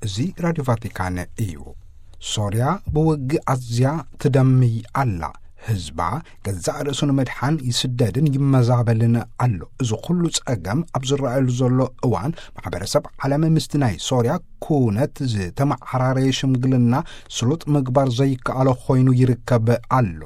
እዚ ራድዮ ቫቲካን እዩ። ሶርያ ብውግእ ኣዝያ ትደምይ ኣላ። ህዝባ ገዛእ ርእሱ ንምድሓን ይስደድን ይመዛበልን ኣሎ። እዚ ኩሉ ጸገም ኣብ ዝረኣየሉ ዘሎ እዋን፣ ማሕበረሰብ ዓለም ምስቲ ናይ ሶርያ ኩነት ዝተመዓራረየ ሽምግልና ስሉጥ ምግባር ዘይከኣሎ ኮይኑ ይርከብ ኣሎ።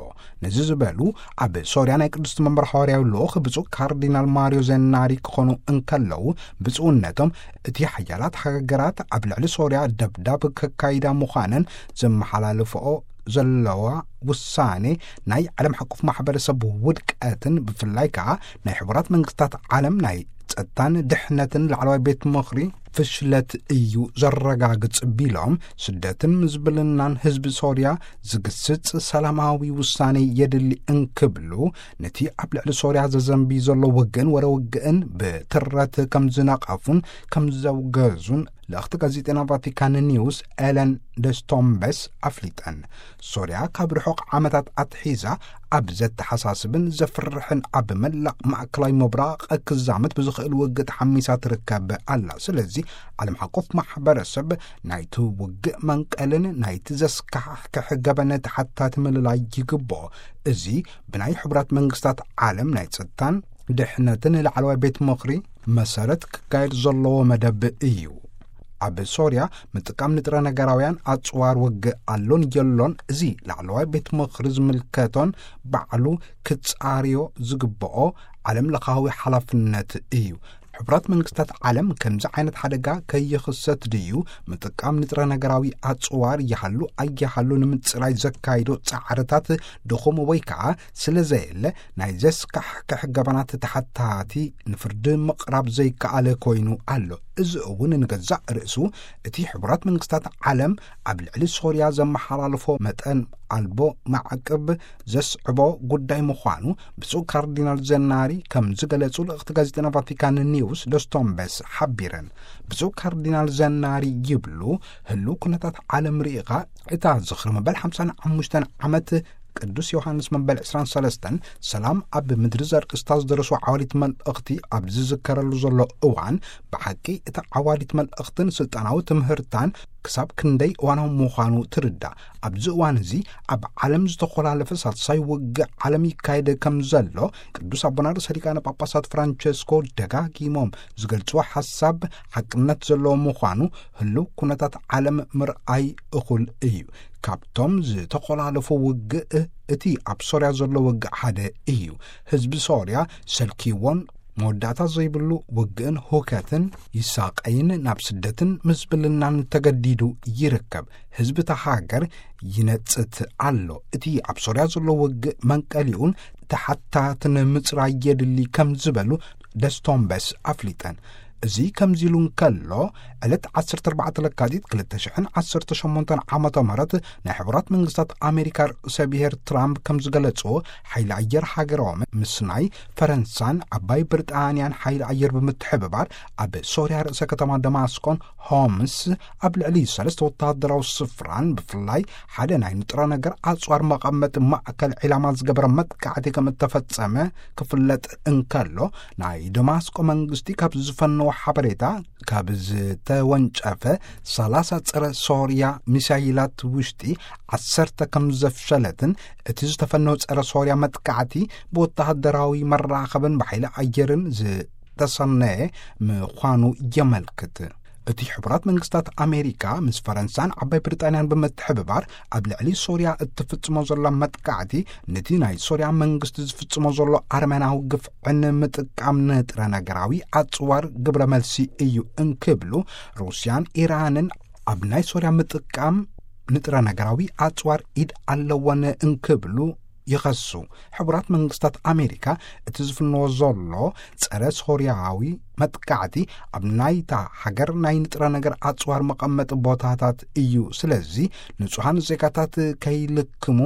ነዚ ዝበሉ ኣብ ሶርያ ናይ ቅድስቲ መንበር ሃዋርያዊ ልኡኽ ብፁዕ ካርዲናል ማሪዮ ዘናሪ ክኾኑ እንከለዉ፣ ብፁዕነቶም እቲ ሓያላት ሃገራት ኣብ ልዕሊ ሶርያ ደብዳብ ከካይዳ ምዃነን ዘመሓላልፈኦ ዘለዋ ውሳኔ ናይ ዓለም ሓቆፍ ማሕበረሰብ ውድቀትን ብፍላይ ከኣ ናይ ሕቡራት መንግስታት ዓለም ናይ ጸጥታን ድሕነትን ላዕለዋይ ቤት ምኽሪ ፍሽለት እዩ ዘረጋግጽ ቢሎም፣ ስደትን ምዝብልናን ህዝቢ ሶርያ ዝግስጽ ሰላማዊ ውሳኔ የድሊ እንክብሉ፣ ነቲ ኣብ ልዕሊ ሶርያ ዘዘንቢ ዘሎ ውግእን ወረ ውግእን ብትረት ከም ዝነቐፉን ከም ዘውገዙን ልእኽቲ ጋዜጠና ቫቲካን ኒውስ ኤለን ደስቶምበስ ኣፍሊጠን። ሶርያ ካብ ርሑቕ ዓመታት ኣትሒዛ ኣብ ዘተሓሳስብን ዘፍርሕን ኣብ መላእ ማእከላይ ምብራቕ ክዛመት ብዝኽእል ውግእ ተሓሚሳ ትርከብ ኣላ። ስለዚ ዓለም ሓቆፍ ማሕበረሰብ ናይቲ ውግእ መንቀልን ናይቲ ዘስካሕክሕ ገበን ተሓታቲ ምልላይ ይግብኦ። እዚ ብናይ ሕቡራት መንግስታት ዓለም ናይ ጸጥታን ድሕነትን ላዕለዋይ ቤት ምኽሪ መሰረት ክካየድ ዘለዎ መደብ እዩ። ኣብ ሶርያ ምጥቃም ንጥረ ነገራውያን ኣጽዋር ውግእ ኣሎን የሎን፣ እዚ ላዕለዋይ ቤት ምኽሪ ዝምልከቶን ባዕሉ ክጻርዮ ዝግብኦ ዓለም ለኻዊ ሓላፍነት እዩ። ሕቡራት መንግስታት ዓለም ከምዚ ዓይነት ሓደጋ ከይኽሰት ድዩ ምጥቃም ንጥረ ነገራዊ ኣጽዋር ይሃሉ ኣይሃሉ ንምጽራይ ዘካይዶ ጻዕርታት ድኹም ወይ ከኣ ስለ ዘየለ ናይ ዘስካሕክሕ ገበናት ተሓታቲ ንፍርዲ ምቕራብ ዘይከኣለ ኮይኑ ኣሎ። እዚ እውን ንገዛእ ርእሱ እቲ ሕቡራት መንግስታት ዓለም ኣብ ልዕሊ ሶርያ ዘመሓላልፎ መጠን ኣልቦ ማዕቅብ ዘስዕቦ ጉዳይ ምዃኑ ብፁዕ ካርዲናል ዘናሪ ከም ዝገለጹ ልእኽቲ ጋዜጠና ቫቲካን ኒውስ ደስቶምበስ ሓቢረን። ብፁዕ ካርዲናል ዘናሪ ይብሉ፣ ህሉው ኩነታት ዓለም ርኢኻ እታ ዝኽሪ መበል ሓምሳን ሓሙሽተን ዓመት ቅዱስ ዮሃንስ መበል ዕስራን ሰለስተን ሰላም ኣብ ምድሪ ዘርእስታ ዝደረሱ ዓዋዲት መልእኽቲ ኣብ ዝዝከረሉ ዘሎ እዋን፣ ብሓቂ እታ ዓዋዲት መልእኽትን ስልጣናዊ ትምህርታን ክሳብ ክንደይ እዋናዊ ምዃኑ ትርዳእ። ኣብዚ እዋን እዚ ኣብ ዓለም ዝተኾላለፈ ሳልሳይ ውግእ ዓለም ይካየድ ከም ዘሎ ቅዱስ ኣቦና ርእሰ ሊቃነ ጳጳሳት ፍራንቸስኮ ደጋጊሞም ዝገልጽዎ ሓሳብ ሓቅነት ዘለዎ ምዃኑ ህሉው ኩነታት ዓለም ምርኣይ እኹል እዩ። ካብቶም ዝተኾላለፉ ውግእ እቲ ኣብ ሶርያ ዘሎ ውግእ ሓደ እዩ። ህዝቢ ሶርያ ሰልኪዎን መወዳእታ ዘይብሉ ውግእን ሁከትን ይሳቐይን ናብ ስደትን ምዝብልናን ተገዲዱ ይርከብ። ህዝቢ እታ ሃገር ይነጽት ኣሎ። እቲ ኣብ ሶርያ ዘሎ ውግእ መንቀሊኡን ተሓታትን ምጽራይ የድሊ ከም ዝበሉ ደስቶምበስ ኣፍሊጠን። እዚ ከምዚ ኢሉ እንከሎ፣ ዕለት ዓሰርተ ኣርባዕተ ለካቲት ክልተ ሽሕን ዓሰርተ ሸሞንተን ዓመተ ምህረት ናይ ሕቡራት መንግስታት ኣሜሪካ ርእሰ ብሔር ትራምፕ ከም ዝገለጽዎ፣ ሓይሊ ኣየር ሃገሮም ምስ ናይ ፈረንሳን ዓባይ ብሪጣንያን ሓይሊ ኣየር ብምትሕብባር ኣብ ሶርያ ርእሰ ከተማ ደማስቆን ሆምስ ኣብ ልዕሊ ሰለስተ ወተሃደራዊ ስፍራን ብፍላይ ሓደ ናይ ንጥረ ነገር ኣጽዋር መቐመጢ ማእከል ዒላማ ዝገበረ መጥቃዕቲ ከም እተፈጸመ ክፍለጥ እንከሎ፣ ናይ ደማስቆ መንግስቲ ካብ ዝፈነዎ ሓበሬታ፣ ካብ ዝተወንጨፈ ሰላሳ ጸረ ሶርያ ሚሳይላት ውሽጢ ዓሰርተ ከም ዘፍሸለትን፣ እቲ ዝተፈነወ ጸረ ሶርያ መጥቃዕቲ ብወተሃደራዊ መራኸብን ብሓይሊ ኣየርን ዝተሰነየ ምዃኑ የመልክት። እቲ ሕቡራት መንግስታት ኣሜሪካ ምስ ፈረንሳን ዓባይ ብሪጣንያን ብምትሕብባር ኣብ ልዕሊ ሶርያ እትፍጽሞ ዘላ መጥቃዕቲ፣ ነቲ ናይ ሶርያ መንግስቲ ዝፍጽሞ ዘሎ ኣረመናዊ ግፍዕን ምጥቃም ንጥረ ነገራዊ ኣጽዋር ግብረ መልሲ እዩ እንክብሉ፣ ሩስያን ኢራንን ኣብ ናይ ሶርያ ምጥቃም ንጥረ ነገራዊ ኣጽዋር ኢድ ኣለወን እንክብሉ ይኸሱ። ሕቡራት መንግስታት ኣሜሪካ እቲ ዝፍንዎ ዘሎ ጸረ ሶርያዊ መጥቃዕቲ ኣብ ናይታ ሃገር ናይ ንጥረ ነገር ኣጽዋር መቐመጢ ቦታታት እዩ። ስለዚ ንጹሃን ዜጋታት ከይልክሙ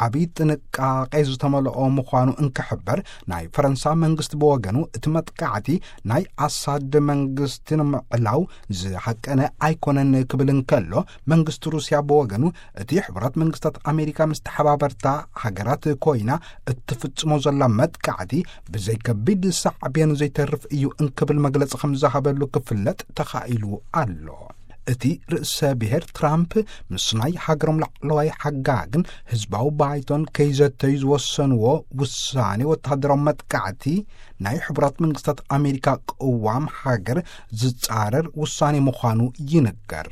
ዓቢ ጥንቃቄ ዝተመልኦ ምዃኑ እንክሕበር፣ ናይ ፈረንሳ መንግስቲ ብወገኑ እቲ መጥቃዕቲ ናይ ኣሳድ መንግስቲ ንምዕላው ዝሃቀነ ኣይኮነን ክብል እንከሎ፣ መንግስቲ ሩስያ ብወገኑ እቲ ሕቡራት መንግስታት ኣሜሪካ ምስ ተሓባበርታ ሃገራት ኮይና እትፍጽሞ ዘላ መጥቃዕቲ ብዘይ ከቢድ ሳዕቤን ዘይተርፍ እዩ እንክብል መግለጺ ከም ዝሃበሉ ክፍለጥ ተኻኢሉ ኣሎ። እቲ ርእሰ ብሔር ትራምፕ ምስ ናይ ሃገሮም ላዕለዋይ ሓጋግን ህዝባዊ ባይቶን ከይዘተዩ ዝወሰንዎ ውሳኔ ወተሃደራዊ መጥቃዕቲ ናይ ሕቡራት መንግስታት ኣሜሪካ ቅዋም ሃገር ዝጻረር ውሳኔ ምዃኑ ይንገር።